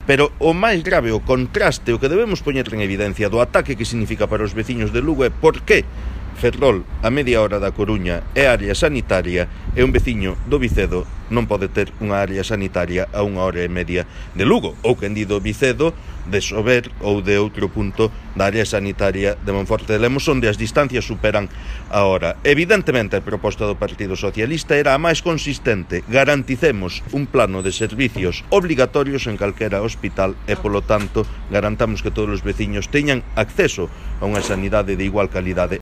Pero o máis grave, o contraste, o que debemos poñer en evidencia do ataque que significa para os veciños de Lugo é por que Ferrol, a media hora da Coruña, é área sanitaria e un veciño do Vicedo non pode ter unha área sanitaria a 1 hora e media de Lugo, ou quen di do Vicedo, de Sober ou de outro punto da área sanitaria de Monforte de Lemos, onde as distancias superan a hora. Evidentemente, a proposta do Partido Socialista era a máis consistente: garanticemos un plano de servicios obrigatorios en calquera hospital e, polo tanto, garantamos que todos os veciños teñan acceso a unha sanidade de igual calidade.